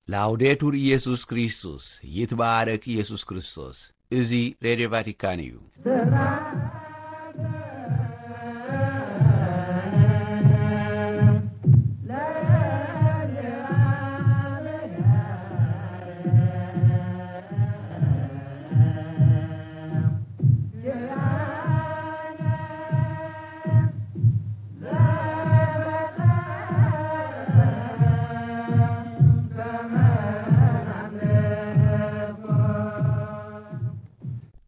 ላውዴቱር ኢየሱስ ክርስቶስ፣ ይትባረክ ኢየሱስ ክርስቶስ። እዚ ሬድዮ ቫቲካን እዩ።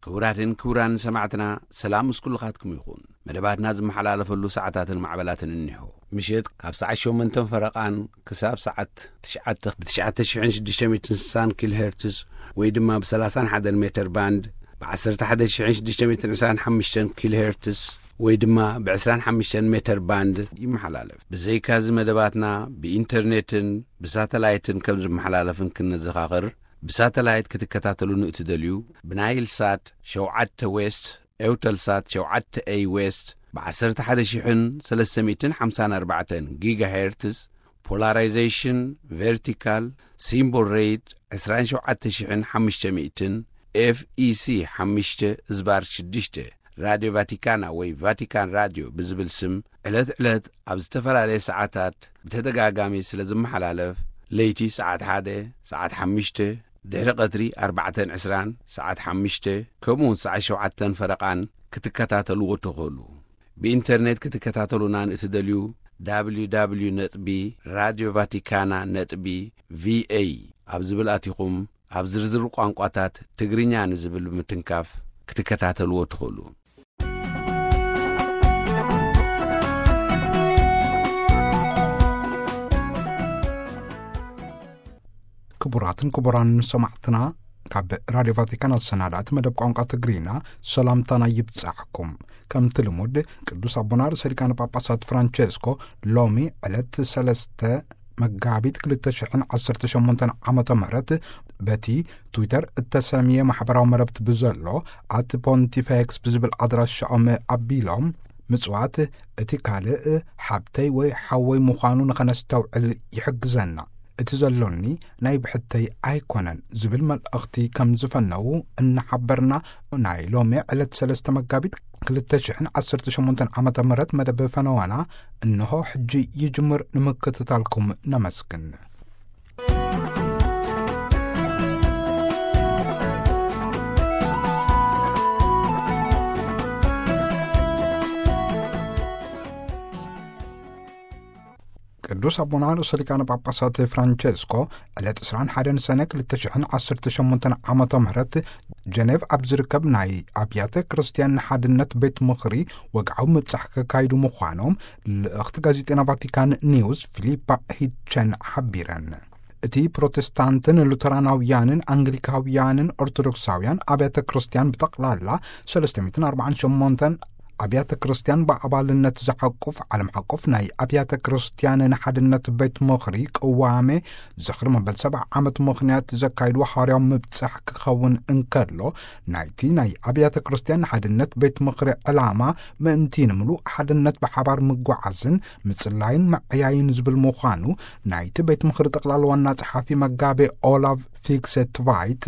ክቡራትን ክቡራን ሰማዕትና፣ ሰላም ምስ ኩልኻትኩም ይኹን። መደባትና ዝመሓላለፈሉ ሰዓታትን ማዕበላትን እኒሆ። ምሸት ካብ ሰዓት ሸሞንተን ፈረቓን ክሳብ ሰዓት ትሽዓተ ብ ትሽዓተ ሽሕን ሽዱሽተ ሚእትን ስሳን ኪሎ ሄርትዝ ወይ ድማ ብ ሰላሳን ሓደን ሜተር ባንድ፣ ብ ዓሰርተ ሓደ ሽሕን ሽዱሽተ ሚእትን ዕስራን ሓሙሽተን ኪሎ ሄርትዝ ወይ ድማ ብ ዕስራን ሓሙሽተን ሜተር ባንድ ይመሓላለፍ። ብዘይካዚ መደባትና ብኢንተርኔትን ብሳተላይትን ከም ዝመሓላለፍን ክንዘኻኽር፣ ብሳተላይት ክትከታተሉ ንእትደልዩ፣ ብናይል ሳት ሸውዓተ ዌስት፣ ኤውተል ሳት ሸውዓተ ኤይ ዌስት፣ ብ ዓሰርተ ሓደ ሽሕን ሰለስተ ሚእትን ሓምሳን ኣርባዕተን ጊጋ ሄርትዝ፣ ፖላራይዜሽን ቨርቲካል፣ ሲምቦል ሬት ዕስራን ሸውዓተ ሽሕን ሓሙሽተ ሚእትን፣ ኤፍ ኢ ሲ ሓሙሽተ ዝባር ሽዱሽተ፣ ራድዮ ቫቲካና ወይ ቫቲካን ራድዮ ብዝብል ስም ዕለት ዕለት ኣብ ዝተፈላለየ ሰዓታት ብተደጋጋሚ ስለ ዝመሓላለፍ፣ ለይቲ ሰዓት ሓደ፣ ሰዓት ሓሙሽተ፣ ድሕሪ ቀትሪ ኣርባዕተን ዕስራን፣ ሰዓት ሓሙሽተ፣ ከምኡውን ሰዓት ሸውዓተን ፈረቓን ክትከታተልዎ ትኽእሉ። ብኢንተርኔት ክትከታተሉና ንእትደልዩ፣ ደብሊው ደብሊው ደብሊው ነጥቢ ራድዮ ቫቲካና ነጥቢ ቪ ኤ ኣብ ዝብል ኣቲኹም፣ ኣብ ዝርዝር ቋንቋታት ትግርኛ ንዝብል ብምትንካፍ ክትከታተልዎ ትኽእሉ። ክቡራትን ክቡራን ሰማዕትና፣ ካብ ራድዮ ቫቲካን ኣሰናዳእቲ መደብ ቋንቋ ትግርኛ ሰላምታና ይብጻሕኩም። ከምቲ ልሙድ፣ ቅዱስ ኣቦና ርእሰ ሊቃነ ጳጳሳት ፍራንቸስኮ ሎሚ ዕለት ሰለስተ መጋቢት ክልተ ሽሕን ዓሰርተ ሸሞንተን ዓመተ ምህረት በቲ ትዊተር እተሰምየ ማሕበራዊ መረብቲ ብዘሎ ኣት ፖንቲፌክስ ብዝብል ኣድራሻኦም ኣቢሎም፣ ምጽዋት እቲ ካልእ ሓብተይ ወይ ሓወይ ምዃኑ ንኸነስተውዕል ይሕግዘና። እቲ ዘሎኒ ናይ ብሕተይ ኣይኮነን ዝብል መልእኽቲ ከም ዝፈነዉ እናሓበርና፣ ናይ ሎሚ ዕለት ሰለስተ መጋቢት ክልተ ሽሕን ዓሰርተ ሸሞንተን ዓመተ ምህረት መደብ ፈነዋና እንሆ ሕጂ ይጅምር። ንምክትታልኩም ነመስግን። ቅዱስ ኣቦና ርእሰ ሊቃነ ጳጳሳት ፍራንቸስኮ ዕለት ዕስራን ሓደን ሰነ ክልተ ሽሕን ዓሰርተ ሸሞንተን ዓመተ ምህረት ጀኔቭ ኣብ ዝርከብ ናይ ኣብያተ ክርስቲያን ሓድነት ቤት ምኽሪ ወግዓዊ ምብጻሕ ከካይዱ ምዃኖም ልእኽቲ ጋዜጠና ቫቲካን ኒውስ ፊሊፓ ሂቸን ሓቢረን። እቲ ፕሮቴስታንትን ሉተራናውያንን ኣንግሊካውያንን ኦርቶዶክሳውያን ኣብያተ ክርስቲያን ብጠቕላላ ሰለስተ ሚእትን ኣርባዓን ሸሞንተን ኣብያተ ክርስቲያን ብኣባልነት ዝሓቁፍ ዓለም ሓቁፍ ናይ ኣብያተ ክርስቲያን ንሓድነት ቤት ምኽሪ ቅዋሜ ዝኽሪ መበል ሰብዓ ዓመት ምኽንያት ዘካይድዎ ሓዋርያዊ ምብጻሕ ክኸውን እንከሎ፣ ናይቲ ናይ ኣብያተ ክርስቲያን ንሓድነት ቤት ምኽሪ ዕላማ ምእንቲ ንምሉእ ሓድነት ብሓባር ምጓዓዝን ምጽላይን ምዕያይን ዝብል ምዃኑ ናይቲ ቤት ምኽሪ ጠቕላላ ዋና ጸሓፊ መጋቤ ኦላቭ ፊክሰትቫይት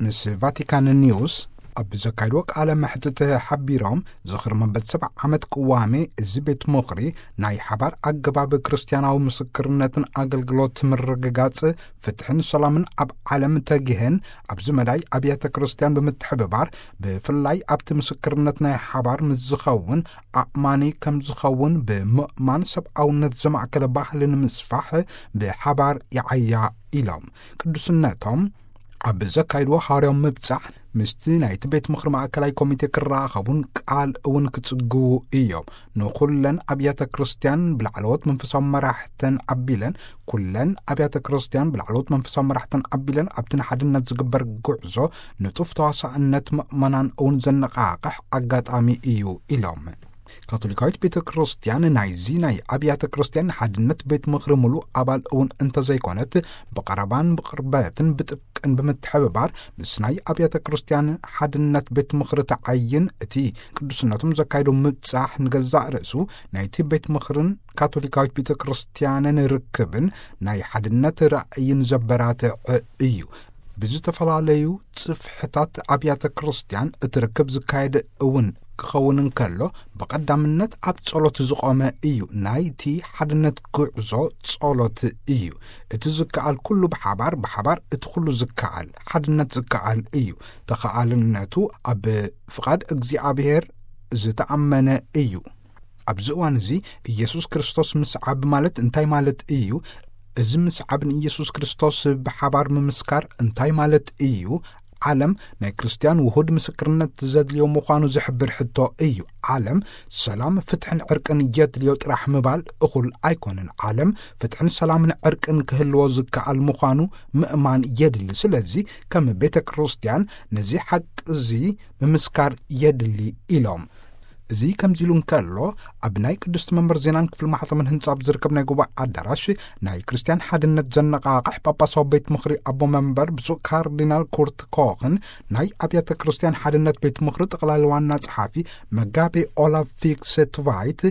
ምስ ቫቲካን ኒውስ ኣብ ዘካይድዎ ቃለ መሕትት ሓቢሮም፣ ዝኽሪ መበል ሰብዓ ዓመት ቅዋሜ እዚ ቤት ምኽሪ ናይ ሓባር ኣገባብ ክርስትያናዊ ምስክርነትን ኣገልግሎት ምርግጋጽ ፍትሕን ሰላምን ኣብ ዓለም ተጊሀን ኣብዚ መዳይ ኣብያተ ክርስትያን ብምትሕብባር ብፍላይ ኣብቲ ምስክርነት ናይ ሓባር ምስ ዝኸውን ኣእማኒ ከም ዝኸውን ብምእማን ሰብኣውነት ዘማእከለ ባህሊ ንምስፋሕ ብሓባር ይዓያ ኢሎም። ቅዱስነቶም ኣብ ዘካይድዎ ሓዋርያዊ ምብጻሕ ምስቲ ናይቲ ቤት ምኽሪ ማእከላይ ኮሚቴ ክራኸቡን ቃል እውን ክጽግቡ እዮም። ንኹለን ኣብያተ ክርስቲያን ብላዕለዎት መንፈሳዊ መራሕተን ኣቢለን፣ ኩለን ኣብያተ ክርስቲያን ብላዕለዎት መንፈሳዊ መራሕተን ኣቢለን ኣብቲ ንሓድነት ዝግበር ጉዕዞ ንጡፍ ተዋሳእነት ምእመናን እውን ዘነቓቕሕ ኣጋጣሚ እዩ ኢሎም። ካቶሊካዊት ቤተ ክርስቲያን ናይዚ ናይ ኣብያተ ክርስቲያን ሓድነት ቤት ምኽሪ ምሉእ ኣባል እውን እንተዘይኮነት፣ ብቐረባን ብቕርበትን ብጥብቅን ብምትሕብባር ምስ ናይ ኣብያተ ክርስቲያን ሓድነት ቤት ምኽሪ ተዓይን፣ እቲ ቅዱስነቶም ዘካየዶ ምብጻሕ ንገዛእ ርእሱ ናይቲ ቤት ምኽርን ካቶሊካዊት ቤተ ክርስቲያንን ርክብን ናይ ሓድነት ራእይን ዘበራትዕ እዩ። ብዝተፈላለዩ ጽፍሕታት ኣብያተ ክርስቲያን እቲ ርክብ ዝካየድ እውን ክኸውን እንከሎ፣ ብቐዳምነት ኣብ ጸሎት ዝቖመ እዩ። ናይቲ ሓድነት ጉዕዞ ጸሎት እዩ። እቲ ዝከኣል ኩሉ ብሓባር፣ ብሓባር እቲ ኩሉ ዝከኣል ሓድነት ዝከኣል እዩ። ተኸኣልነቱ ኣብ ፍቓድ እግዚኣብሔር ዝተኣመነ እዩ። ኣብዚ እዋን እዚ ኢየሱስ ክርስቶስ ምስዓብ ማለት እንታይ ማለት እዩ? እዚ ምስዓብ ንኢየሱስ ክርስቶስ ብሓባር ምምስካር እንታይ ማለት እዩ? ዓለም ናይ ክርስትያን ውሁድ ምስክርነት ዘድልዮ ምዃኑ ዝሕብር ሕቶ እዩ። ዓለም ሰላም፣ ፍትሕን ዕርቅን የድልዮ ጥራሕ ምባል እኹል ኣይኮነን። ዓለም ፍትሕን ሰላምን ዕርቅን ክህልዎ ዝከኣል ምዃኑ ምእማን የድሊ። ስለዚ ከም ቤተ ክርስትያን ነዚ ሓቂ እዚ ምምስካር የድሊ ኢሎም። እዚ ከምዚ ኢሉ እንከሎ፣ ኣብ ናይ ቅድስቲ መንበር ዜናን ክፍሊ ማሕተምን ህንጻ ኣብ ዝርከብ ናይ ጉባኤ ኣዳራሽ ናይ ክርስትያን ሓድነት ዘነቓቕሕ ጳጳሳዊ ቤት ምኽሪ ኣቦ መንበር ብፁዕ ካርዲናል ኩርት ኮኽን ናይ ኣብያተ ክርስትያን ሓድነት ቤት ምኽሪ ጠቕላሊ ዋና ጸሓፊ መጋቤ ኦላፍ ፊክስ ትቫይት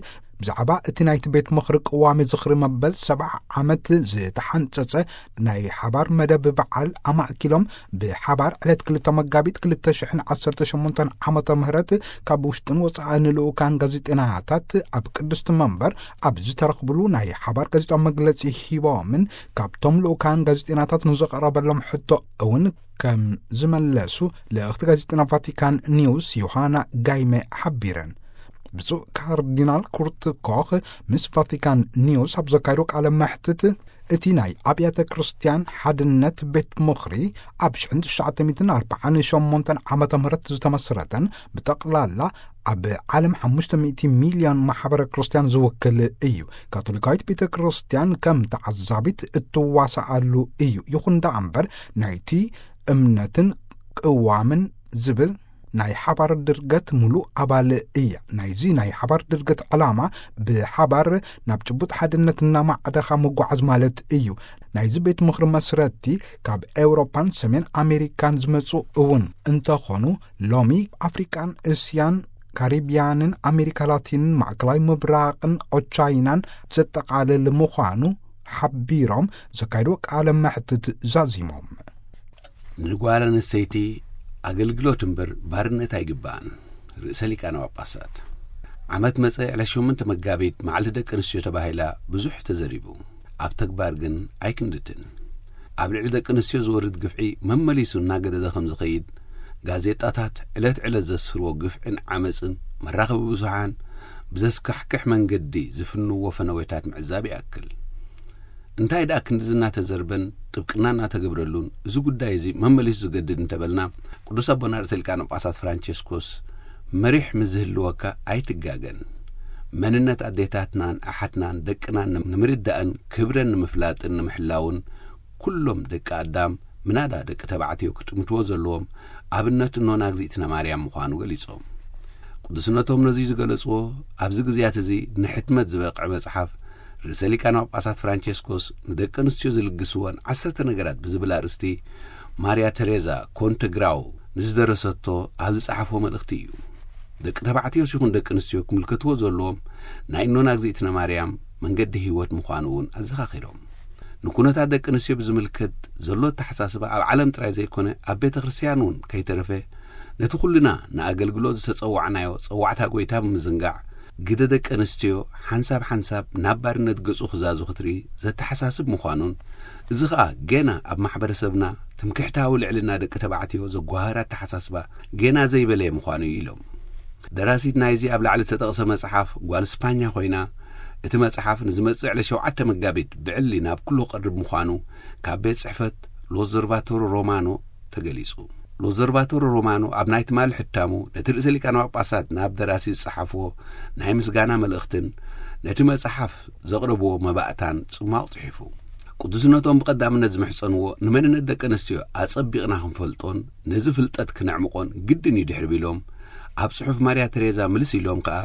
ብዛዕባ እቲ ናይቲ ቤት ምኽሪ ቅዋሜ ዝኽሪ መበል ሰብዓ ዓመት ዝተሓንጸጸ ናይ ሓባር መደብ በዓል ኣማእኪሎም፣ ብሓባር ዕለት ክልተ መጋቢት ክልተ ሽሕን ዓሰርተ ሸሞንተን ዓመተ ምህረት ካብ ውሽጥን ወጻእን ልኡካን ጋዜጠናታት ኣብ ቅድስቲ መንበር ኣብ ዝተረኽብሉ ናይ ሓባር ጋዜጣዊ መግለጺ ሂቦምን፣ ካብቶም ልኡካን ጋዜጠናታት ንዝቐረበሎም ሕቶ እውን ከም ዝመለሱ ልእኽቲ ጋዜጠና ቫቲካን ኒውስ ዮሃና ጋይመ ሓቢረን። ብፁዕ ካርዲናል ኩርት ኮኽ ምስ ቫቲካን ኒውስ ኣብ ዘካየዶ ቃለ መሕትት፣ እቲ ናይ ኣብያተ ክርስትያን ሓድነት ቤት ምኽሪ ኣብ ሽሕን ትሽዓተ ሚእትን ኣርባዓን ሸሞንተን ዓመተ ምህረት ዝተመስረተን ብጠቕላላ ኣብ ዓለም ሓሙሽተ ሚእቲ ሚልዮን ማሕበረ ክርስትያን ዝውክል እዩ። ካቶሊካዊት ቤተ ክርስትያን ከም ተዓዛቢት እትዋሳኣሉ እዩ። ይኹን ደኣ እምበር ናይቲ እምነትን ቅዋምን ዝብል ናይ ሓባር ድርገት ምሉእ ኣባል እያ። ናይዚ ናይ ሓባር ድርገት ዕላማ ብሓባር ናብ ጭቡጥ ሓድነት እናማዕደኻ ምጓዓዝ ማለት እዩ። ናይዚ ቤት ምኽሪ መስረቲ ካብ ኤውሮፓን ሰሜን ኣሜሪካን ዝመጹ እውን እንተኾኑ፣ ሎሚ ኣፍሪቃን እስያን ካሪብያንን ኣሜሪካ ላቲንን ማእከላይ ምብራቕን ኦቻይናን ዘጠቓልል ምዃኑ ሓቢሮም ዘካየድዎ ቃለ መሕትት ዛዚሞም። ንጓል ኣንስተይቲ ኣገልግሎት እምበር ባርነት ኣይግባእን። ርእሰ ሊቃነ ጳጳሳት። ዓመት መጸ ዕለት ሸሞንተ መጋቢት መዓልቲ ደቂ ኣንስትዮ ተባሂላ ብዙሕ ተዘሪቡ። ኣብ ተግባር ግን ኣይክንድትን። ኣብ ልዕሊ ደቂ ኣንስትዮ ዝወርድ ግፍዒ መመሊሱ እናገደደ ከም ዝኸይድ ጋዜጣታት ዕለት ዕለት ዘስፍርዎ ግፍዕን ዓመጽን መራኸቢ ብዙሓን ብዘስካሕክሕ መንገዲ ዝፍንዎ ፈነወታት ምዕዛብ ይኣክል። እንታይ ደኣ ክንድዚ እናተዘርበን ጥብቅና እናተገብረሉን እዚ ጉዳይ እዚ መመሊሱ ዝገድድ እንተበልና፣ ቅዱስ ኣቦና ርእሰ ሊቃነ ጳጳሳት ፍራንቸስኮስ መሪሕ ምስ ዝህልወካ ኣይትጋገን። መንነት ኣዴታትናን ኣሓትናን ደቅናን ንምርዳእን ክብረን ንምፍላጥን ንምሕላውን ኩሎም ደቂ ኣዳም ምናዳ ደቂ ተባዕትዮ ክጥምትዎ ዘለዎም ኣብነት እኖና እግዚኣብትና ማርያም ምዃኑ ገሊጾም። ቅዱስነቶም ነዚ ዝገለጽዎ ኣብዚ ግዜያት እዚ ንሕትመት ዝበቕዐ መጽሓፍ ርእሰ ሊቃነ ጳጳሳት ፍራንቸስኮስ ንደቂ ኣንስትዮ ዝልግስወን ዓሰርተ ነገራት ብዝብል ኣርእስቲ ማርያ ተሬዛ ኮንተግራው ንዝደረሰቶ ኣብ ዝጸሓፎ መልእኽቲ እዩ። ደቂ ተባዕትዮስ ይኹን ደቂ ኣንስትዮ ክምልከትዎ ዘለዎም ናይ እኖና እግዚኣብትና ማርያም መንገዲ ህይወት ምዃኑ እውን ኣዘኻኺሮም። ንኩነታት ደቂ ኣንስትዮ ብዝምልከት ዘሎ ኣተሓሳስባ ኣብ ዓለም ጥራይ ዘይኮነ ኣብ ቤተ ክርስትያን እውን ከይተረፈ ነቲ ኩልና ንኣገልግሎት ዝተጸዋዕናዮ ጸዋዕታ ጐይታ ብምዝንጋዕ ግደ ደቂ ኣንስትዮ ሓንሳብ ሓንሳብ ናብ ባርነት ገጹ ክዛዙ ክትርኢ ዘተሓሳስብ ምዃኑን፣ እዚ ኸኣ ገና ኣብ ማሕበረሰብና ትምክሕታዊ ልዕልና ደቂ ተባዕትዮ ዘጓሃር ኣተሓሳስባ ገና ዘይበለየ ምዃኑ እዩ ኢሎም። ደራሲት ናይዚ ኣብ ላዕሊ ዝተጠቕሰ መጽሓፍ ጓል ስፓኛ ኮይና፣ እቲ መጽሓፍ ንዝመጽእ ዕለት ሸውዓተ መጋቢት ብዕሊ ናብ ኩሉ ክቐርብ ምዃኑ ካብ ቤት ጽሕፈት ሎዘርቫቶሮ ሮማኖ ተገሊጹ። ሎዘርቫቶሮ ሮማኖ ኣብ ናይ ትማሊ ሕታሙ ነቲ ርእሰ ሊቃነ ጳጳሳት ናብ ደራሲ ዝጸሓፍዎ ናይ ምስጋና መልእኽትን ነቲ መጽሓፍ ዘቕረብዎ መባእታን ጽማቕ ጽሒፉ። ቅዱስነቶም ብቐዳምነት ዝምሕጸንዎ ንመንነት ደቂ ኣንስትዮ ኣጸቢቕና ክንፈልጦን ነዚ ፍልጠት ክነዕምቖን ግድን እዩ ድሕሪ ቢሎም፣ ኣብ ጽሑፍ ማርያ ተሬዛ ምልስ ኢሎም ከኣ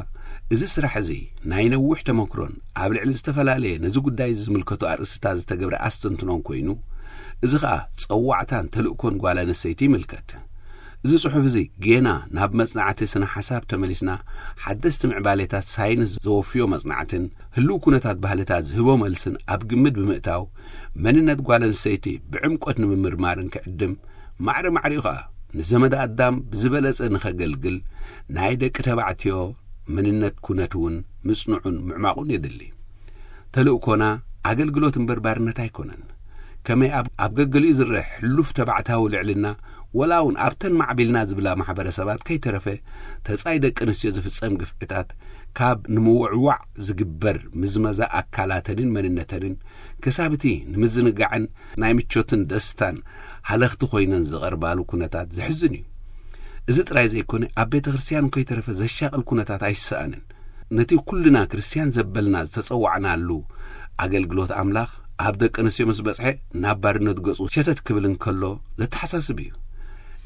እዚ ስራሕ እዚ ናይ ነዊሕ ተመክሮን ኣብ ልዕሊ ዝተፈላለየ ነዚ ጉዳይ ዝምልከቱ ኣርእስታት ዝተገብረ ኣስተንትኖን ኮይኑ፣ እዚ ኸኣ ጸዋዕታን ተልእኮን ጓል ኣንስተይቲ ይምልከት። እዚ ጽሑፍ እዚ ጌና ናብ መጽናዕቲ ስነ ሓሳብ ተመሊስና፣ ሓደስቲ ምዕባሌታት ሳይንስ ዘወፍዮ መጽናዕትን ህልው ኩነታት ባህልታት ዝህቦ መልስን ኣብ ግምት ብምእታው፣ መንነት ጓል ኣንስተይቲ ብዕምቆት ንምምርማርን ክዕድም፣ ማዕረ ማዕሪኡ ኸኣ ንዘመደ ኣዳም ብዝበለጸ ንኸገልግል ናይ ደቂ ተባዕትዮ መንነት ኩነት እውን ምጽንዑን ምዕማቑን የድሊ። ተልእኮና ኣገልግሎት እምበር ባርነት ኣይኮነን። ከመይ ኣብ፣ ኣብ ገገሊኡ ዝረአ ሕሉፍ ተባዕታዊ ልዕልና፣ ወላ እውን ኣብተን ማዕቢልና ዝብላ ማሕበረሰባት ከይተረፈ ተጻይ ደቂ ኣንስትዮ ዝፍጸም ግፍዕታት ካብ ንምውዕዋዕ ዝግበር ምዝመዛ ኣካላተንን መንነተንን ክሳብ እቲ ንምዝንጋዕን ናይ ምቾትን ደስታን ሃለኽቲ ኮይነን ዝቐርባሉ ኩነታት ዘሕዝን እዩ። እዚ ጥራይ ዘይኮነ ኣብ ቤተ ክርስቲያን ከይተረፈ ዘሻቕል ኩነታት ኣይሰኣንን። ነቲ ኩልና ክርስቲያን ዘበልና ዝተጸዋዕናሉ ኣገልግሎት ኣምላኽ ኣብ ደቂ ኣንስትዮ ምስ በጽሐ ናብ ባርነት ገጹ ሸተት ክብል እንከሎ ዘተሓሳስብ እዩ።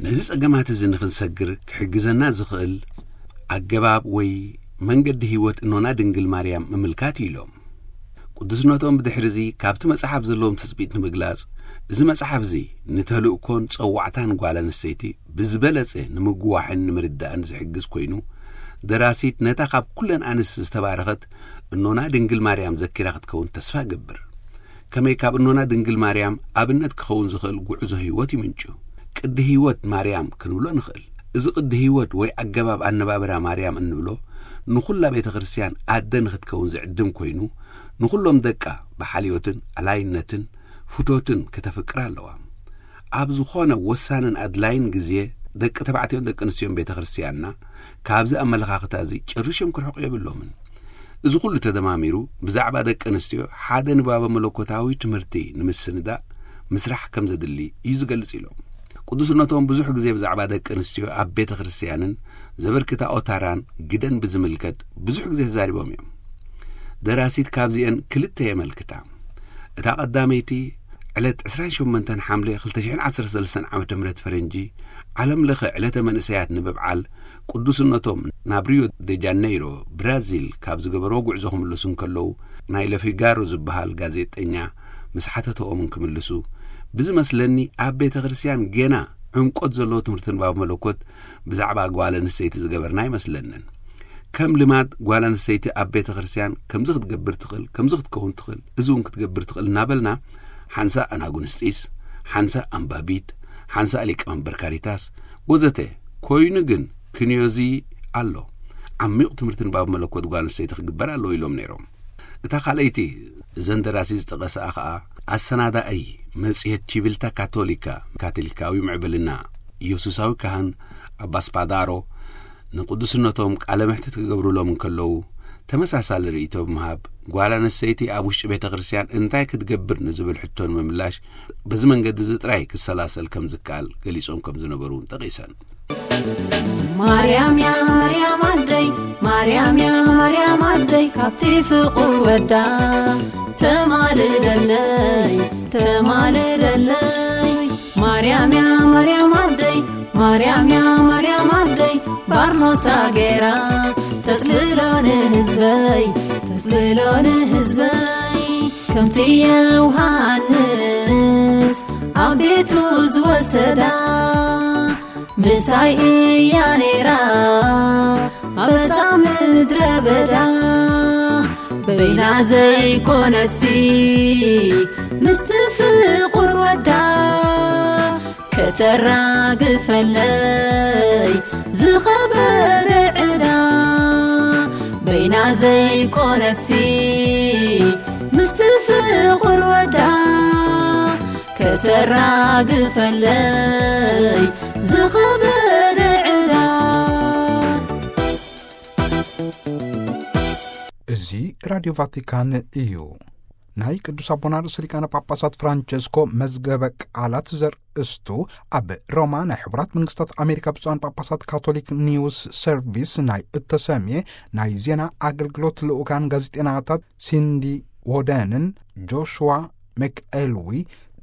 ነዚ ጸገማት እዚ ንኽንሰግር ክሕግዘና ዝኽእል ኣገባብ ወይ መንገዲ ህይወት እኖና ድንግል ማርያም ምምልካት እዩ ኢሎም። ቅዱስነቶም ብድሕሪ እዚ ካብቲ መጽሓፍ ዘለዎም ትጽቢት ንምግላጽ፣ እዚ መጽሓፍ እዚ ንተልእኮን ጸዋዕታን ጓል ኣንስተይቲ ብዝበለጸ ንምግዋሕን ንምርዳእን ዝሕግዝ ኮይኑ፣ ደራሲት ነታ ካብ ኩለን ኣንስቲ ዝተባረኸት እኖና ድንግል ማርያም ዘኪራ ክትከውን ተስፋ እገብር። ከመይ ካብ እኖና ድንግል ማርያም ኣብነት ክኸውን ዝኽእል ጉዕዞ ህይወት ይምንጩ። ቅዲ ህይወት ማርያም ክንብሎ ንኽእል። እዚ ቅዲ ህይወት ወይ ኣገባብ ኣነባብራ ማርያም እንብሎ ንኹላ ቤተ ክርስቲያን ኣደ ንኽትከውን ዝዕድም ኮይኑ፣ ንኹሎም ደቃ ብሓልዮትን ኣላይነትን ፍቶትን ከተፍቅር ኣለዋ። ኣብ ዝኾነ ወሳንን ኣድላይን ግዜ ደቂ ተባዕትዮን ደቂ ኣንስትዮን ቤተ ክርስቲያንና ካብዚ ኣመለኻኽታ እዚ ጨሪሾም ክርሕቑ የብሎምን። እዚ ኩሉ ተደማሚሩ ብዛዕባ ደቂ ኣንስትዮ ሓደ ንባበ መለኮታዊ ትምህርቲ ንምስንዳእ ምስራሕ ከም ዘድሊ እዩ ዝገልጽ ኢሎም። ቅዱስነቶም ብዙሕ ግዜ ብዛዕባ ደቂ ኣንስትዮ ኣብ ቤተ ክርስቲያንን ዘበርክታኦ ታራን ግደን ብዝምልከት ብዙሕ ግዜ ተዛሪቦም እዮም። ደራሲት ካብዚአን ክልተ የመልክታ። እታ ቀዳመይቲ ዕለት ዕስራን ሸሞንተን ሓምለ ክልተ ሽሕን ዓሰርተ ሰለስተን ዓመተ ምህረት ፈረንጂ ዓለም ለኸ ዕለተ መንእሰያት ንምብዓል ቅዱስነቶም ናብ ሪዮ ደ ጃነይሮ ብራዚል ካብ ዝገበርዎ ጉዕዞ ክምለሱ እንከለዉ ናይ ለፊጋሮ ዝበሃል ጋዜጠኛ ምስ ሓተተኦምን ክምልሱ ብዝመስለኒ ኣብ ቤተ ክርስቲያን ጌና ዕምቆት ዘለዎ ትምህርቲ ንባብ መለኮት ብዛዕባ ጓል ኣንስተይቲ ዝገበርና ኣይመስለንን። ከም ልማድ ጓል ኣንስተይቲ ኣብ ቤተ ክርስቲያን ከምዚ ክትገብር ትኽእል፣ ከምዚ ክትከውን ትኽእል፣ እዚ እውን ክትገብር ትኽእል እናበልና ሓንሳእ ኣናጉንስጢስ፣ ሓንሳእ ኣንባቢት፣ ሓንሳእ ሊቀ መንበር ካሪታስ ወዘተ ኮይኑ ግን ክንዮዚ ኣሎ። ዓሚቕ ትምህርቲ ንባብ መለኮት ጓል ኣንስተይቲ ክግበር ኣለዎ ኢሎም ነይሮም። እታ ካልኣይቲ እዘን ደራሲ ዝጠቐስኣ ኸኣ ኣሰናዳኣይ መጽሔት ቺቪልታ ካቶሊካ፣ ካቶሊካዊ ምዕብልና ኢየሱሳዊ ካህን ኣባ ስፓዳሮ ንቅዱስነቶም ቃለ መሕትት ክገብሩሎም እንከለዉ ተመሳሳሊ ርእይቶ ብምሃብ ጓል ኣንስተይቲ ኣብ ውሽጢ ቤተ ክርስቲያን እንታይ ክትገብር ንዝብል ሕቶ ንምምላሽ በዚ መንገዲ እዚ ጥራይ ክሰላሰል ከም ዝከኣል ገሊጾም ከም ዝነበሩ እውን ጠቒሰን። ማርያም እያ ማርያም ኣደይ፣ ማርያም እያ ማርያም ኣደይ፣ ካብቲ ፍቑር ወዳ ተማልደለይ፣ ተማልደለይ። ማርያም እያ ማርያም ኣደይ፣ ማርያም እያ ማርያም ኣደይ፣ ባርኖሳ ገይራ ተጽልሎ ንህዝበይ፣ ተጽልሎ ንህዝበይ። ከምቲ ዮሃንስ ኣብ ቤቱ ዝወሰዳ ምሳይ እያ ነይራ ኣብ ጻም ምድረ በዳ። በይና ዘይኮነሲ ምስቲ ፍቑር ወዳ ከተራግፈለይ ዝኸበደ ዕዳ። በይና ዘይኮነሲ ምስቲ ፍቑር ወዳ ከተራግፈለይ ዝኸበደ ዕዳ። እዚ ራድዮ ቫቲካን እዩ። ናይ ቅዱስ ኣቦና ርእሰ ሊቃነ ጳጳሳት ፍራንቸስኮ መዝገበ ቃላት ዘርእስቱ ኣብ ሮማ ናይ ሕቡራት መንግስታት ኣሜሪካ ብፁዓን ጳጳሳት ካቶሊክ ኒውስ ሰርቪስ ናይ እተሰምየ ናይ ዜና ኣገልግሎት ልኡካን ጋዜጠናታት ሲንዲ ዎደንን ጆሽዋ መክኤልዊ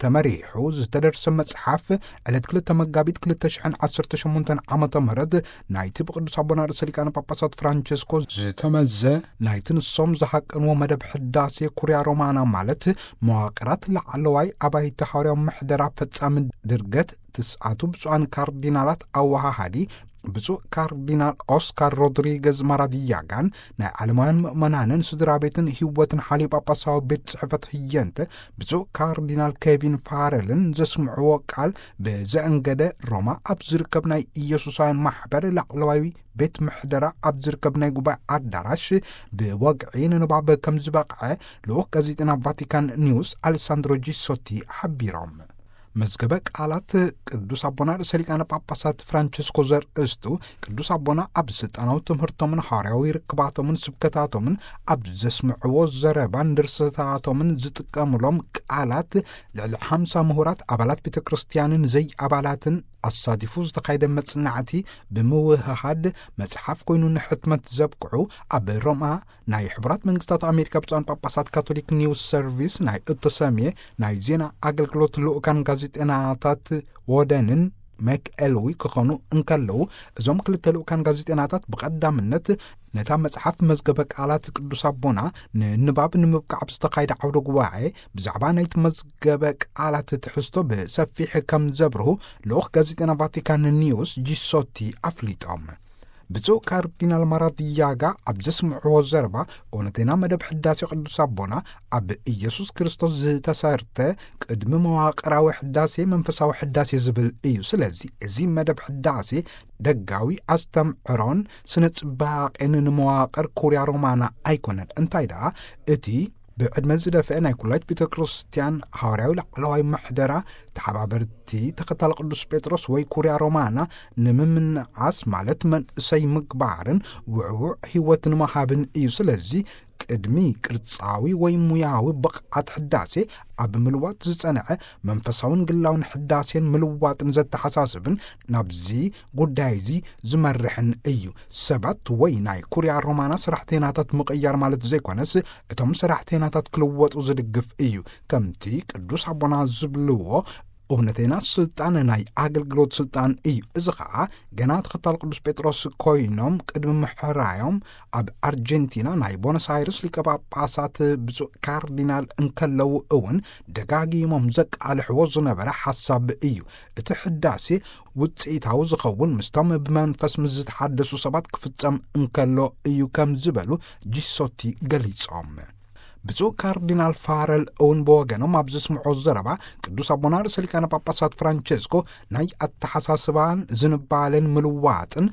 ተመሪሑ ዝተደርሰ መጽሓፍ፣ ዕለት ክልተ መጋቢት ክልተ ሽሕን ዓሰርተ ሸሞንተን ዓመተ ምህረት ናይቲ ብቅዱስ ኣቦና ርእሰ ሊቃነ ጳጳሳት ፍራንቸስኮ ዝተመዘ፣ ናይቲ ንሶም ዝሃቀንዎ መደብ ሕዳሴ ኩርያ ሮማና፣ ማለት መዋቕራት ላዕለዋይ ኣባይቲ ሓዋርያዊ ምሕደራ ፈጻሚ ድርገት ትስዓቱ ብፁዓን ካርዲናላት ኣወሃሃዲ ብፁዕ ካርዲናል ኦስካር ሮድሪገዝ ማራዲያጋን ናይ ዓለማውያን ምእመናንን ስድራ ቤትን ህይወትን ሓልዮ ጳጳሳዊ ቤት ጽሕፈት ህየንተ ብፁዕ ካርዲናል ኬቪን ፋረልን ዘስምዕዎ ቃል፣ ብዘእንገደ ሮማ ኣብ ዝርከብ ናይ ኢየሱሳውያን ማሕበር ላዕለዋዊ ቤት ምሕደራ ኣብ ዝርከብ ናይ ጉባኤ ኣዳራሽ ብወግዒ ንንባብ ከም ዝበቕዐ ልኡኽ ጋዜጠና ቫቲካን ኒውስ ኣሌሳንድሮ ጂሶቲ ሓቢሮም። መዝገበ ቃላት ቅዱስ ኣቦና ርእሰ ሊቃነ ጳጳሳት ፍራንቸስኮ ዘርእስቱ፣ ቅዱስ ኣቦና ኣብ ስልጣናዊ ትምህርቶምን ሓዋርያዊ ርክባቶምን ስብከታቶምን ኣብ ዘስምዕዎ ዘረባን ድርሰታቶምን ዝጥቀሙሎም ቃላት፣ ልዕሊ ሓምሳ ምሁራት ኣባላት ቤተ ክርስቲያንን ዘይኣባላትን ኣሳቲፉ ዝተኻየደ መጽናዕቲ ብምውህሃድ መጽሓፍ ኮይኑ ንሕትመት ዘብቅዑ፣ ኣብ ሮማ ናይ ሕቡራት መንግስታት ኣሜሪካ ብፁዓን ጳጳሳት ካቶሊክ ኒውስ ሰርቪስ ናይ እተሰምየ ናይ ዜና ኣገልግሎት ልኡካን ጋዜጠናታት ዎደንን መክ ኤልዊ ክኾኑ እንከለዉ፣ እዞም ክልተ ልኡካን ጋዜጠናታት ብቐዳምነት ነታ መጽሓፍ መዝገበ ቃላት ቅዱስ ኣቦና ንንባብ ንምብቃዕ ኣብ ዝተኻየደ ዓውደ ጉባኤ ብዛዕባ ናይቲ መዝገበ ቃላት ትሕዝቶ ብሰፊሕ ከም ዘብርሁ ልኡኽ ጋዜጠና ቫቲካን ኒውስ ጂሶቲ ኣፍሊጦም። ብፁዕ ካርዲናል ማራዲያጋ ኣብ ዘስምዕዎ ዘረባ፣ እውነተኛ መደብ ሕዳሴ ቅዱስ ኣቦና ኣብ ኢየሱስ ክርስቶስ ዝተሰርተ ቅድሚ መዋቕራዊ ሕዳሴ መንፈሳዊ ሕዳሴ ዝብል እዩ። ስለዚ እዚ መደብ ሕዳሴ ደጋዊ ኣስተምዕሮን ስነ ጽባቄን ንመዋቕር ኩርያ ሮማና ኣይኮነን። እንታይ ደኣ፣ እቲ ብዕድመ ዝደፍአ ናይ ኩላይት ቤተ ክርስቲያን ሃዋርያዊ ላዕለዋይ ምሕደራ ተሓባበርቲ ተኸታሊ ቅዱስ ጴጥሮስ ወይ ኩርያ ሮማና ንምምንዓስ፣ ማለት መንእሰይ ምግባርን ውዕዉዕ ህይወት ንምሃብን እዩ። ስለዚ ቅድሚ ቅርጻዊ ወይ ሙያዊ ብቕዓት ሕዳሴ ኣብ ምልዋጥ ዝጸንዐ መንፈሳውን ግላውን ሕዳሴን ምልዋጥን ዘተሓሳስብን ናብዚ ጉዳይ እዚ ዝመርሕን እዩ። ሰባት ወይ ናይ ኩርያ ሮማና ሰራሕተይናታት ምቕያር ማለት ዘይኮነስ፣ እቶም ሰራሕተይናታት ክልወጡ ዝድግፍ እዩ። ከምቲ ቅዱስ ኣቦና ዝብልዎ፣ እውነተይና ስልጣን ናይ ኣገልግሎት ስልጣን እዩ። እዚ ኸኣ ገና ተኸታል ቅዱስ ጴጥሮስ ኮይኖም ቅድሚ ምሕራዮም ኣብ ኣርጀንቲና ናይ ቦነስ ኣይርስ ሊቀ ጳጳሳት ብፁዕ ካርዲናል እንከለዉ እውን ደጋጊሞም ዘቃልሕዎ ዝነበረ ሓሳብ እዩ። እቲ ሕዳሴ ውጽኢታዊ ዝኸውን ምስቶም ብመንፈስ ምስ ዝተሓደሱ ሰባት ክፍጸም እንከሎ እዩ ከም ዝበሉ ጂሶቲ ገሊጾም። ብፁዕ ካርዲናል ፋረል እውን ብወገኖም ኣብ ዘስምዖ ዘረባ፣ ቅዱስ ኣቦና ርእሰ ሊቃነ ጳጳሳት ፍራንቸስኮ ናይ ኣተሓሳስባን ዝንባለን ምልዋጥን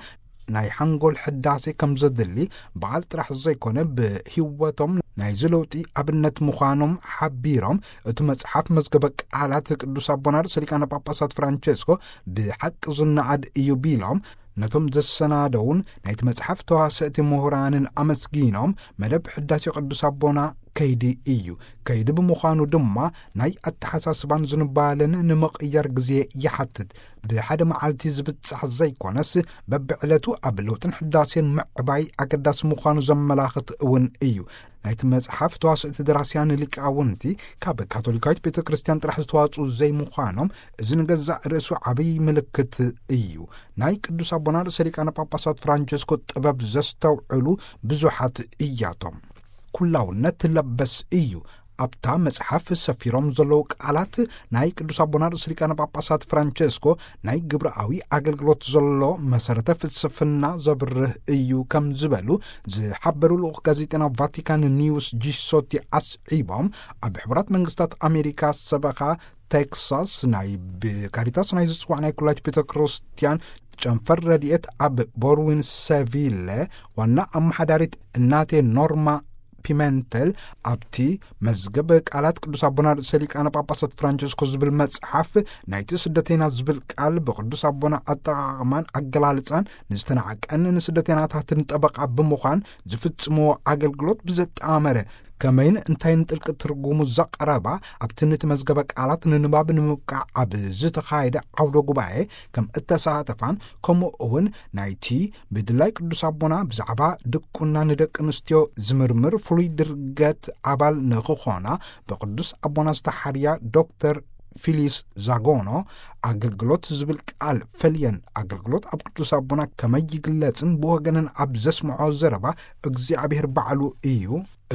ናይ ሓንጎል ሕዳሴ ከም ዘድሊ በዓል ጥራሕ ዘይኮነ ብህይወቶም ናይዚ ለውጢ ኣብነት ምዃኖም ሓቢሮም፣ እቲ መጽሓፍ መዝገበ ቃላት ቅዱስ ኣቦና ርእሰ ሊቃነ ጳጳሳት ፍራንቸስኮ ብሓቂ ዝነኣድ እዩ ቢሎም፣ ነቶም ዘሰናደውን ናይቲ መጽሓፍ ተዋሰእቲ ምሁራንን ኣመስጊኖም፣ መደብ ሕዳሴ ቅዱስ ኣቦና ከይዲ እዩ። ከይዲ ብምዃኑ ድማ ናይ ኣተሓሳስባን ዝንባለን ንምቕያር ግዜ ይሓትት። ብሓደ መዓልቲ ዝብጻሕ ዘይኮነስ፣ በብዕለቱ ኣብ ለውጥን ሕዳሴን ምዕባይ ኣገዳሲ ምዃኑ ዘመላኽት እውን እዩ። ናይቲ መጽሓፍ ተዋስእቲ ደራስያን ሊቃውንቲ ካብ ካቶሊካዊት ቤተ ክርስቲያን ጥራሕ ዝተዋጽኡ ዘይምዃኖም፣ እዚ ንገዛእ ርእሱ ዓብዪ ምልክት እዩ። ናይ ቅዱስ ኣቦና ርእሰ ሊቃነ ጳጳሳት ፍራንቸስኮ ጥበብ ዘስተውዕሉ ብዙሓት እያቶም። ኩላውነት ለበስ እዩ። ኣብታ መጽሓፍ ሰፊሮም ዘለዉ ቃላት ናይ ቅዱስ ኣቦና ርእሰ ሊቃነ ጳጳሳት ፍራንቸስኮ ናይ ግብራዊ ኣገልግሎት ዘሎ መሰረተ ፍልስፍና ዘብርህ እዩ ከም ዝበሉ ዝሓበሩ ልኡኽ ጋዜጠና ቫቲካን ኒውስ ጂሶቲ ኣስዒቦም፣ ኣብ ሕቡራት መንግስታት ኣሜሪካ ሰበኻ ቴክሳስ ናይ ብካሪታስ ናይ ዝጽዋዕ ናይ ኩላይት ቤተ ክርስቲያን ጨንፈር ረድኤት ኣብ ቦርዊን ሰቪለ ዋና ኣመሓዳሪት እናቴ ኖርማ ፒመንተል፣ ኣብቲ መዝገብ ቃላት ቅዱስ ኣቦና ርእሰ ሊቃነ ጳጳሳት ፍራንቸስኮ ዝብል መጽሓፍ፣ ናይቲ ስደተይና ዝብል ቃል ብቅዱስ ኣቦና ኣጠቓቕማን ኣገላልጻን ንዝተናዕቀን ንስደተይናታትን ጠበቓ ብምዃን ዝፍጽምዎ ኣገልግሎት ብዘጣመረ ከመይን እንታይን ጥልቂ ትርጉሙ ዘቕረባ፣ ኣብቲ ነቲ መዝገበ ቃላት ንንባብ ንምብቃዕ ኣብ ዝተኻየደ ዓውደ ጉባኤ ከም እተሳተፋን፣ ከምኡ እውን ናይቲ ብድላይ ቅዱስ ኣቦና ብዛዕባ ድቁና ንደቂ ኣንስትዮ ዝምርምር ፍሉይ ድርገት ኣባል ንኽኾና ብቅዱስ ኣቦና ዝተሓርያ ዶክተር ፊሊስ ዛጎኖ፣ ኣገልግሎት ዝብል ቃል ፈልየን፣ ኣገልግሎት ኣብ ቅዱስ ኣቦና ከመይ ይግለጽን ብወገነን ኣብ ዘስምዖ ዘረባ፣ እግዚኣብሔር ባዕሉ እዩ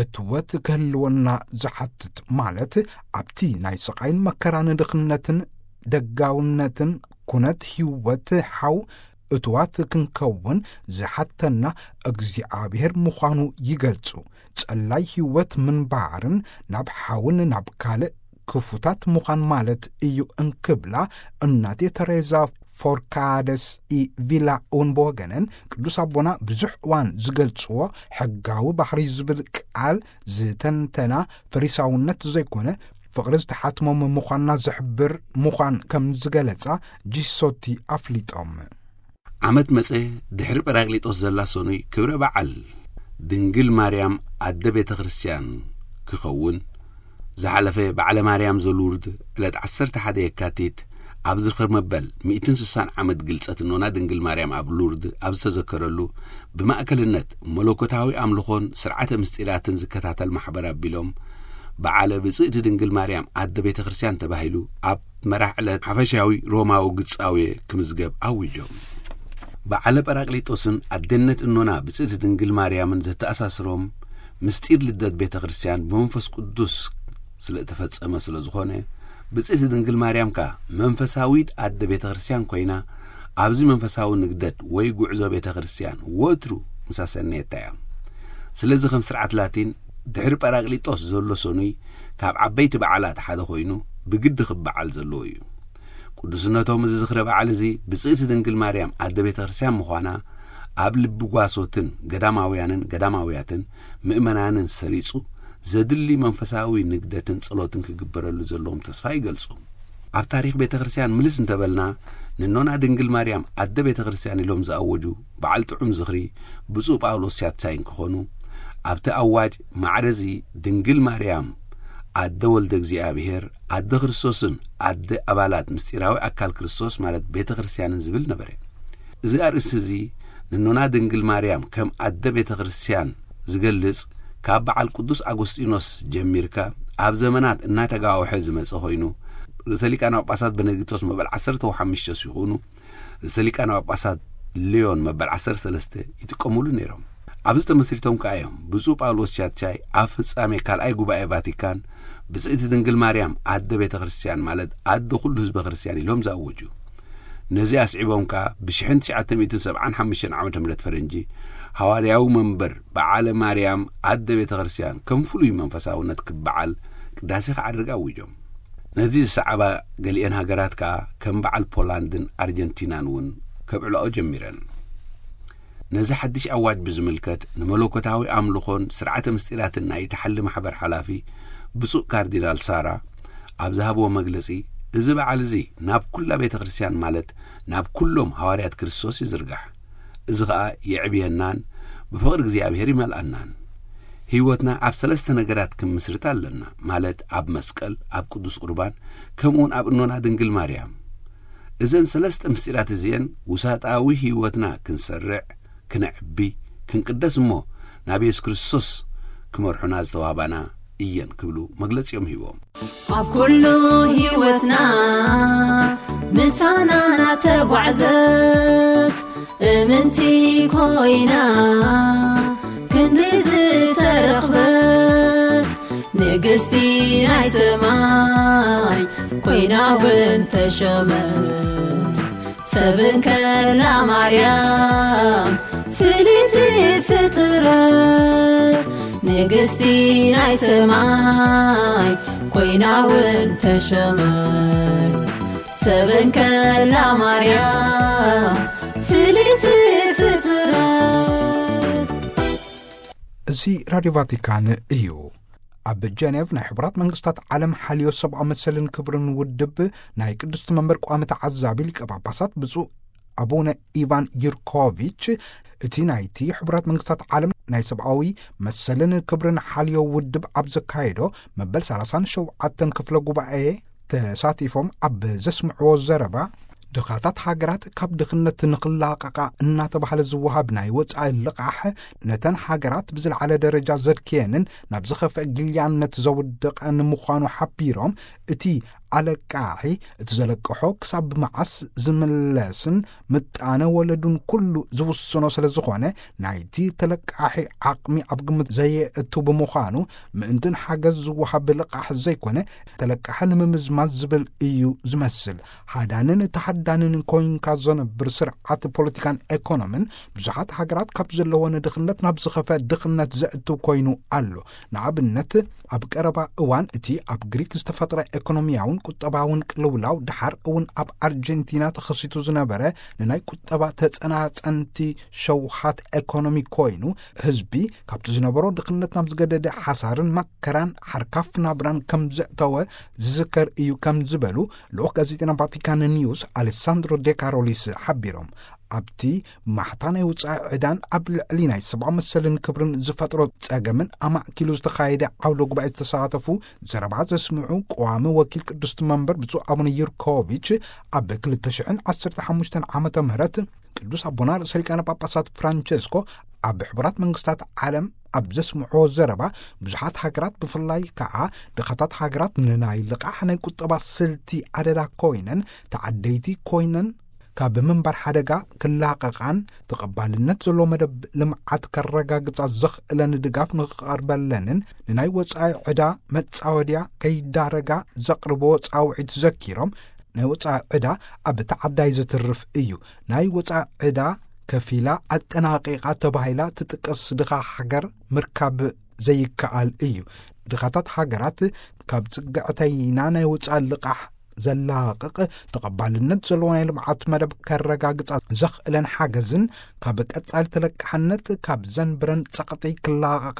እትወት ክህልወና ዝሓትት፣ ማለት ኣብቲ ናይ ስቓይን መከራን ድኽነትን ደጋውነትን ኩነት ህይወት ሓው እትዋት ክንከውን ዝሓተና እግዚኣብሔር ምዃኑ ይገልጹ። ጸላይ ህይወት ምንባርን ናብ ሓውን ናብ ካልእ ክፉታት ምዃን ማለት እዩ እንክብላ፣ እናቴ ተሬዛ ፎርካደስ ኢ ቪላ እውን ብወገነን፣ ቅዱስ ኣቦና ብዙሕ እዋን ዝገልጽዎ ሕጋዊ ባህሪ ዝብል ቃል ዝተንተና ፈሪሳውነት ዘይኮነ፣ ፍቕሪ ዝተሓትሞም ምዃንና ዝሕብር ምዃን ከም ዝገለጻ ጂሶቲ ኣፍሊጦም። ዓመት መጸ፣ ድሕሪ ጳራቅሊጦስ ዘላ ሰኑይ ክብረ በዓል ድንግል ማርያም ኣደ ቤተ ክርስቲያን ክኸውን፣ ዝሓለፈ በዓለ ማርያም ዘሉርድ ዕለት ዓሰርተ ሓደ የካቲት ኣብ ዝኽሪ መበል ሚእትን ስሳን ዓመት ግልጸት እኖና ድንግል ማርያም ኣብ ሉርድ ኣብ ዝተዘከረሉ፣ ብማእከልነት መለኮታዊ ኣምልኾን ስርዓተ ምስጢራትን ዝከታተል ማሕበር ኣቢሎም፣ በዓለ ብጽእቲ ድንግል ማርያም ኣደ ቤተ ክርስቲያን ተባሂሉ ኣብ መራሕ ዕለት ሓፈሻዊ ሮማዊ ግጻዊ ክምዝገብ ኣዊጆም። በዓለ ጳራቅሊጦስን ኣደነት እኖና ብጽእቲ ድንግል ማርያምን ዘተኣሳስሮም ምስጢር ልደት ቤተ ክርስቲያን ብመንፈስ ቅዱስ ስለ እተፈጸመ ስለ ዝኾነ፣ ብጽእቲ ድንግል ማርያም ከኣ መንፈሳዊት ኣደ ቤተ ክርስቲያን ኮይና፣ ኣብዚ መንፈሳዊ ንግደት ወይ ጉዕዞ ቤተ ክርስቲያን ወትሩ ምሳሰነየታ እያ። ስለዚ ከም ስርዓት ላቲን ድሕሪ ጳራቅሊጦስ ዘሎ ሰኑይ ካብ ዓበይቲ በዓላት ሓደ ኮይኑ ብግዲ ክበዓል ዘለዎ እዩ። ቅዱስነቶም እዚ ዝኽረ በዓል እዚ ብጽእቲ ድንግል ማርያም ኣደ ቤተ ክርስቲያን ምዃና ኣብ ልቢ ጓሶትን ገዳማውያንን ገዳማውያትን ምእመናንን ሰሪጹ ዘድሊ መንፈሳዊ ንግደትን ጸሎትን ክግበረሉ ዘለዎም ተስፋ ይገልጹ። ኣብ ታሪኽ ቤተ ክርስቲያን ምልስ እንተበልና፣ ንኖና ድንግል ማርያም ኣደ ቤተ ክርስቲያን ኢሎም ዝኣወጁ በዓል ጥዑም ዝኽሪ ብፁዕ ጳውሎስ ሻትሻይ እንክኾኑ፣ ኣብቲ ኣዋጅ ማዕረዚ ድንግል ማርያም ኣደ ወልደ እግዚኣብሔር፣ ኣደ ክርስቶስን ኣደ ኣባላት ምስጢራዊ ኣካል ክርስቶስ ማለት ቤተ ክርስቲያንን ዝብል ነበረ። እዚ ኣርእስቲ እዚ ንኖና ድንግል ማርያም ከም ኣደ ቤተ ክርስቲያን ዝገልጽ ካብ በዓል ቅዱስ ኣጎስጢኖስ ጀሚርካ ኣብ ዘመናት እናተጋወሐ ዝመጸ ኮይኑ፣ ርእሰ ሊቃነ ጳጳሳት ቤኔዲክቶስ መበል ዓሰርተ ሓሙሽተ ሲኾኑ፣ ርእሰ ሊቃነ ጳጳሳት ሊዮን መበል ዓሰርተ ሰለስተ ይጥቀሙሉ ነይሮም። ኣብዚ ተመስሪቶም ከኣ እዮም ብፁዕ ጳውሎስ ሻትሻይ ኣብ ፍጻሜ ካልኣይ ጉባኤ ቫቲካን ብጽእቲ ድንግል ማርያም ኣደ ቤተ ክርስቲያን ማለት ኣደ ኩሉ ህዝበ ክርስቲያን ኢሎም ዝኣወጁ። ነዚ ኣስዒቦም ከኣ ብሽሕን ትሽዓተ ሚእትን ሰብዓን ሓሙሽተን ዓመተ ምህረት ፈረንጂ ሃዋርያዊ መንበር በዓለ ማርያም ኣደ ቤተ ክርስቲያን ከም ፍሉይ መንፈሳውነት ክበዓል ቅዳሴ ክዓርግ ኣዊጆም። ነዚ ዝሰዓባ ገሊአን ሃገራት ከኣ ከም በዓል ፖላንድን ኣርጀንቲናን እውን ከብዕላኦ ጀሚረን። ነዚ ሓድሽ ኣዋጅ ብዝምልከት ንመለኮታዊ ኣምልኾን ስርዓተ ምስጢራትን ናይ ተሓሊ ማሕበር ሓላፊ ብፁዕ ካርዲናል ሳራ ኣብ ዝሃብዎ መግለጺ፣ እዚ በዓል እዚ ናብ ኩላ ቤተ ክርስቲያን ማለት ናብ ኩሎም ሃዋርያት ክርስቶስ ይዝርጋሕ። እዚ ኸኣ የዕብየናን ብፍቕሪ እግዚኣብሔር ይመልኣናን። ህይወትና ኣብ ሰለስተ ነገራት ክምስርት ኣለና፣ ማለት ኣብ መስቀል፣ ኣብ ቅዱስ ቁርባን፣ ከምኡውን ኣብ እኖና ድንግል ማርያም። እዘን ሰለስተ ምስጢራት እዚአን ውሳጣዊ ህይወትና ክንሰርዕ፣ ክነዕቢ፣ ክንቅደስ እሞ ናብ የሱስ ክርስቶስ ክመርሑና ዝተዋህባና እየን ክብሉ መግለጺኦም ሂቦም። ኣብ ኩሉ ህይወትና ምሳና ናተጓዕዘት እምንቲ ኮይና ክንዲ ዝተረኽበት ንግስቲ ናይ ሰማይ ኮይና እውን ተሾመት። ሰብን ከላ ማርያም ፍልይቲ ፍጥረት ንግስቲ ናይ ሰማይ ኮይና እውን ተሾመት። ሰበን ከላ ማርያም ፍልይቲ ፍጥረት። እዚ ራድዮ ቫቲካን እዩ። ኣብ ጀኔቭ ናይ ሕቡራት መንግስታት ዓለም ሓልዮ ሰብኣዊ መሰልን ክብርን ውድብ ናይ ቅድስቲ መንበር ቋሚ ተዓዛቢ ሊቀ ጳጳሳት ብፁዕ ኣቡነ ኢቫን ዩርኮቪች፣ እቲ ናይቲ ሕቡራት መንግስታት ዓለም ናይ ሰብኣዊ መሰልን ክብርን ሓልዮ ውድብ ኣብ ዘካየዶ መበል ሰላሳን ሸውዓተን ክፍለ ጉባኤ ተሳቲፎም ኣብ ዘስምዕዎ ዘረባ፣ ድኻታት ሃገራት ካብ ድኽነት ንኽላቐቓ እናተባህለ ዝወሃብ ናይ ወጻኢ ልቓሕ፣ ነተን ሃገራት ብዝለዓለ ደረጃ ዘድክየንን ናብ ዝኸፍአ ግልያነት ዘውድቐን ምዃኑ ሓቢሮም፣ እቲ ኣለቃሒ እቲ ዘለቅሖ ክሳብ መዓስ ዝምለስን ምጣነ ወለዱን ኩሉ ዝውስኖ ስለ ዝኾነ፣ ናይቲ ተለቃሒ ዓቕሚ ኣብ ግምት ዘየእቱ ብምዃኑ፣ ምእንትን ሓገዝ ዝወሃብ ልቓሕ ዘይኮነ፣ ተለቃሒ ንምምዝማዝ ዝብል እዩ ዝመስል። ሃዳንን ተሃዳንን ኮይንካ ዘነብር ስርዓት ፖለቲካን ኤኮኖምን ብዙሓት ሃገራት ካብ ዘለወን ድኽነት ናብ ዝኸፈ ድኽነት ዘእትው ኮይኑ ኣሎ። ንኣብነት፣ ኣብ ቀረባ እዋን እቲ ኣብ ግሪክ ዝተፈጥረ ኤኮኖሚያውን ቁጠባውን ቅልውላው፣ ደሓር እውን ኣብ ኣርጀንቲና ተኸሲቱ ዝነበረ ንናይ ቁጠባ ተጸናጸንቲ ሸውሃት ኤኮኖሚ ኮይኑ፣ ህዝቢ ካብቲ ዝነበሮ ድኽነት ናብ ዝገደደ ሓሳርን መከራን ሓርካፍ ናብራን ከም ዘእተወ ዝዝከር እዩ ከም ዝበሉ ልኡኽ ጋዜጠና ቫቲካን ኒውስ ኣሌሳንድሮ ዴካሮሊስ ሓቢሮም። ኣብቲ ማሕታ ናይ ውጻኢ ዕዳን ኣብ ልዕሊ ናይ ሰብኣዊ መሰልን ክብርን ዝፈጥሮ ጸገምን ኣማእኪሉ ዝተኻየደ ዓውደ ጉባኤ ዝተሳተፉ ዘረባ ዘስምዑ ቀዋሚ ወኪል ቅዱስ መንበር ብፁዕ ኣቡነ ዩርኮቪች፣ ኣብ ክልተ ሽሕን ዓሰርተ ሓሙሽተን ዓመተ ምህረት ቅዱስ ኣቦና ርእሰ ሊቃነ ጳጳሳት ፍራንቸስኮ ኣብ ሕቡራት መንግስታት ዓለም ኣብ ዘስምዕዎ ዘረባ፣ ብዙሓት ሃገራት ብፍላይ ከኣ ድኻታት ሃገራት ንናይ ልቓሕ ናይ ቁጠባ ስልቲ ኣደዳ ኮይነን፣ ተዓደይቲ ኮይነን፣ ካብ ምንባር ሓደጋ ክላቐቓን ተቐባልነት ዘለዎ መደብ ልምዓት ከረጋግጻ ዘኽእለን ድጋፍ ንኽቐርበለንን፣ ንናይ ወጻኢ ዕዳ መጻወድያ ከይዳረጋ ዘቕርብዎ ጻውዒት ዘኪሮም፣ ናይ ወጻኢ ዕዳ ኣብ ተዓዳይ ዝትርፍ እዩ። ናይ ወጻኢ ዕዳ ከፊላ ኣጠናቒቓ ተባሂላ ትጥቀስ ድኻ ሃገር ምርካብ ዘይከኣል እዩ። ድኻታት ሃገራት ካብ ጽግዕተይና ናይ ወጻኢ ልቓሕ ዘላቕቕ ተቐባልነት ዘለዎ ናይ ልምዓት መደብ ከረጋግጻ ዘኽእለን ሓገዝን ካብ ቀጻሊ ተለቃሕነት ካብ ዘንብረን ጸቕጢ ክላቐቓ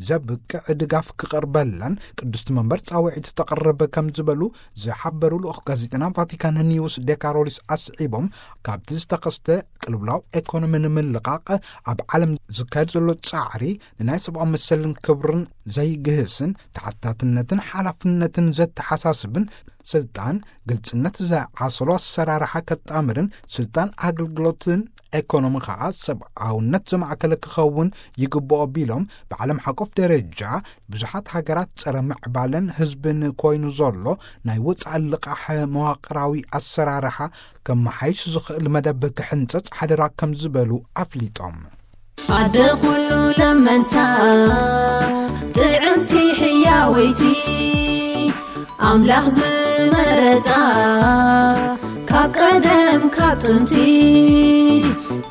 ዘብቅዕ ድጋፍ ክቐርበላን ቅድስቲ መንበር ጻውዒት ተቕርብ ከም ዝበሉ ዝሓበሩ ልኡኽ ጋዜጠና ቫቲካን ኒውስ ዴካሮሊስ ኣስዒቦም፣ ካብቲ ዝተኸስተ ቅልውላው ኤኮኖሚ ንምልቓቕ ኣብ ዓለም ዝካየድ ዘሎ ጻዕሪ ንናይ ሰብኣዊ መሰልን ክብርን ዘይግህስን ተሓታትነትን ሓላፍነትን ዘተሓሳስብን ስልጣን ግልጽነት ዝዓሰሎ ኣሰራርሓ ከጣምርን ስልጣን ኣገልግሎትን ኤኮኖሚ ኸኣ ሰብኣውነት ዘማእከለ ክኸውን ይግብኦ ቢሎም፣ ብዓለም ሓቆፍ ደረጃ ብዙሓት ሃገራት ጸረ ምዕባለን ህዝብን ኮይኑ ዘሎ ናይ ወጻኢ ልቓሕ መዋቕራዊ ኣሰራርሓ ከመሓይሽ ዝኽእል መደብ ክሕንጸጽ ሓደራ ከም ዝበሉ ኣፍሊጦም። ኣደ ኩሉ ለመንታ ጥዕምቲ ሕያወይቲ ኣምላኽ ዝመረጻ ካብ ቀደም ካብ ጥንቲ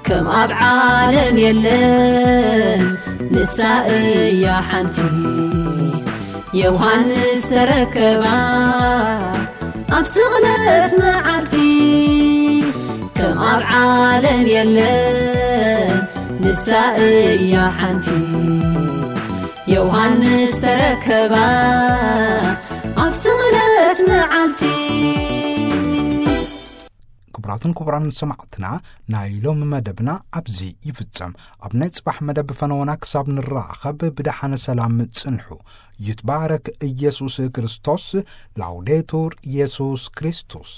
ከም ኣብ ዓለም የለን ንሳ እያ ሓንቲ ዮሃንስ ተረከባ ኣብ ስቕለት መዓልቲ ከም ኣብ ዓለም የለን ንሳ እያ ሓንቲ ዮሃንስ ተረከባ ኣብ ስቕለት መዓልቲ። ክቡራትን ክቡራን ሰማዕትና፣ ናይ ሎሚ መደብና ኣብዚ ይፍጸም። ኣብ ናይ ጽባሕ መደብ ፈነወና ክሳብ ንራኸብ ብደሓነ ሰላም ጽንሑ። ይትባረክ ኢየሱስ ክርስቶስ። ላውዴቱር ኢየሱስ ክርስቶስ።